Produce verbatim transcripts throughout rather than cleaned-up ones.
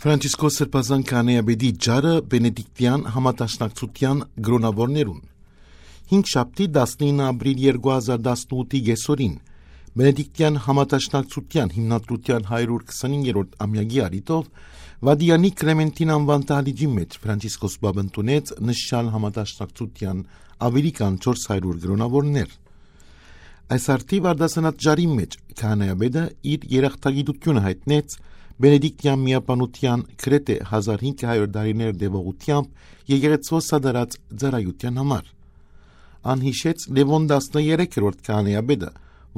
Ֆրանցիսկոս Սրբազան քահանայապետի ճառը Բենեդիկտեան համադաշնակցութեան կրոնաւորներուն։ Հինգշաբթի, տասնինը ապրիլ երկու հազար տասնութի կեսօրին, Բենեդիկտեան համադաշնակցութեան հիմնադրութեան հարիւր քսանիններորդ ամեակի առիթով Վատիկանի Կլեմենտին անուան դահլիճի մէջ Ֆրանցիսկոս Պապ ընդունեց նշան համադաշնակցութեան աւելի քան չորս հարիւր կրոնաւորներ։ Այս արդի վարդասանած ճառին մէջ քահանայապետը իր երախտագիտութիւնը յայտնեց Բենեդիկտեան միաբանութեան գրեթէ հազար հինգ հարիւր տարիներ տեւողութեամբ եկեղեցւոյ սատարած ծառայութեան համար։ Ան յիշեց Լեւոն տասներեքերորդ քահանայապետը,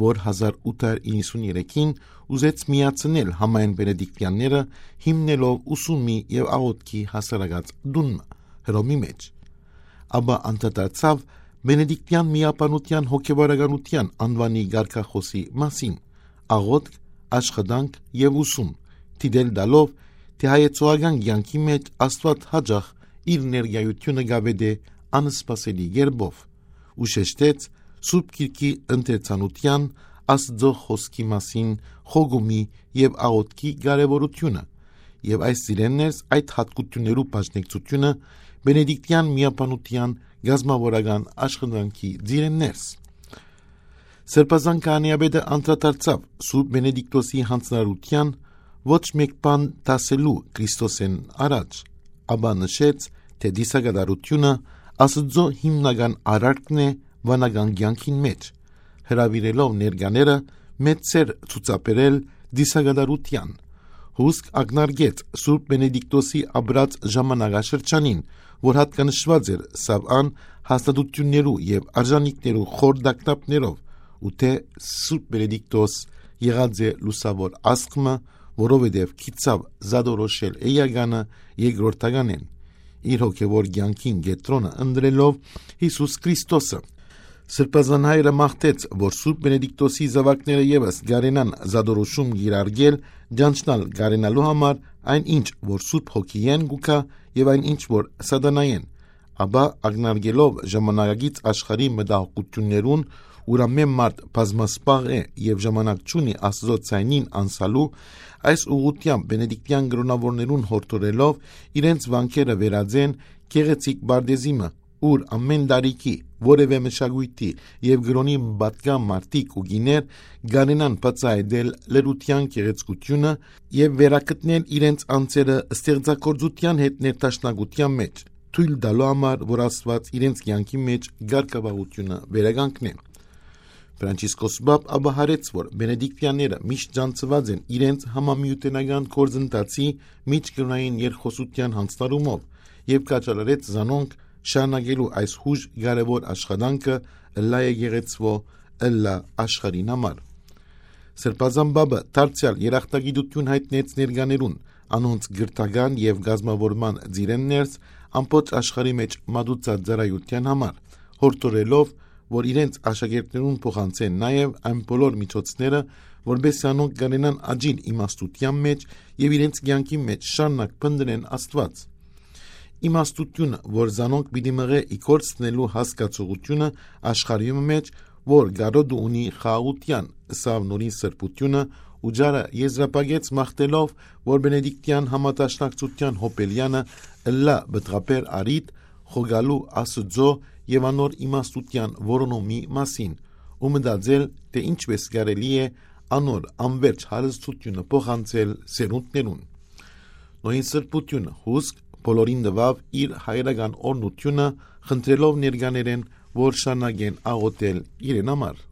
որ հազար ութ հարիւր իննսուններեքին ուզեց միացնել համայեն Բենեդիկտեանները, հիմնելով ուսումի եւ աղօթքի հասարակաց տուն մը Հռոմի մէջ։ Ապա անդրադարձաւ Բենեդիկտեան միաբանութեան հոգեվարականութեան անուանի կարգախօսի մասին՝ աղօթք, աշխատանք եւ ուսում, դիտել տալով, թէ հայեցողական կեանքի մէջ Աստուած յաճախ իր ներկայութիւնը կ'աւետէ անսպասելի կերպով, ու շեշտեց Սուրբ Գիրքի ընթերցանութեան, Աստուծոյ խօսքի մասին խոկումի եւ աղօթքի կարեւորութիւնը, եւ այս ծիրէն ներս այդ յատկութիւններու բաժնեկցութիւնը Բենեդիկտեան միաբանութեան կազմաւորական աշխատանքի ծիրէն ներս։ Սրբազան քահանայապետը անդրադարձաւ Սուրբ Բենեդիկտոսի յանձնարարութեան ոչ մէկ բան դասելու Քրիստոսէն առաջ, ապա նշեց, թէ դիսակատարութիւնը Աստուծոյ հիմնական արարքն է վանական կեանքին մէջ, հրաւիրելով ներկաները մեծ սէր ցուցաբերել դիսակատարութեան։ Հուսկ ակնարկեց Սուրբ Բենեդիկտոսի ապրած ժամանակաշրջանին, որ յատկանշուած էր սավան հաստատութիւններու եւ արժանիքներու խոր տագնապներով, ու թէ Սուրբ Բենեդիկտոս եղած է լուսաւոր ազգ մը, որովհետեւ գիտցաւ զատորոշել էականը երկրորդականէն, իր հոգեվոր կեանքին կեդրոնը ընտրելով Յիսուս Քրիստոսը։ Սրբազան հայրը մաղթեց, որ Սուրբ Բենեդիկտոսի զաւակները եւս կարենան զատորոշում կիրարկել, ճանչնալ կարենալու համար այն ինչ, որ Սուրբ Հոգիէն կու գայ, եւ այն ինչ, որ Սատանայէն, ապա ակնարկելով ժամանակակից աշխարհի մտահոգութիւններուն, ուր ամէն մարդ բազմասպաղ է եւ ժամանակ չունի Աստուծոյ ձայնին անսալու, այս ուղղութեամբ Բենեդիկտեան կրոնաւորներուն յորդորելով իրենց վանքերը վերածեն գեղեցիկ պարտէզի մը, ուր ամէն տարիքի, որեւէ մշակոյթի եւ կրօնի պատկան մարդիկ ու կիներ կարենան բացայայտել լրութեան գեղեցկութիւնը եւ վերագտնել իրենց անձերը ստեղծագործութեան հետ ներդաշնակութեան մէջ, թոյլ տալու համար, որ Աստուած իրենց կեանքի մէջ կարգապահութիւնը վերականգնէ։ Ֆրանցիսկոս Պապ ապա յարեց, որ Բենեդիկտեանները միշտ ճանչցուած են իրենց համամիութենական գործընթացի միջկրօնային երկխօսութեան յանձնարարումով եւ կ'աչալարեց զանոնք շարունակելու այս յուժ կարեւոր աշխատանքը ըլլայ եկեղեցւոյ, ըլլայ աշխարհին համար։ Սրբազան Պապը դարձեալ երախտագիտութիւն յայտնեց ներկաներուն, անոնց կրթական եւ կազմաւորման ծիրէն ներս ամբողջ աշխարհի մէջ մատուցած ծառայութեան համար, յորդորելով, որ իրենց աշակերտներուն փոխանցեն նաեւ այն բոլոր միջոցները, որպէս զի անոնք կարենան աճիլ իմաստութեան մէջ եւ իրենց կեանքի մէջ շարունակ փնտռեն Աստուած։ Իմաստութիւնը, որ զանոնք պիտի մղէ ի գործ դնելու հասկացողութիւնը աշխարհի մէջ, որ կարօտը ունի խաղաղութեան, ըսաւ նորին սրբութիւնը, ու ճառը եզրափակեց մաղթելով, որ Բենեդիկտեան համադաշնակցութեան յոբելեանը ըլլայ պտղաբեր առիթ խոկալու Աստուծոյ եւ անոր իմաստութեան որոնումի մասին, ու մտածել, թէ ինչպէս կարելի է անոր անվերջ հարստութիւնը փոխանցել սերունդներուն։ Նորին սրբութիւնը հուսկ բոլորին տուաւ իր հայրական օրհնութիւնը, խնդրելով ներկաներէն, որ շարունակեն աղօթել իրեն համար։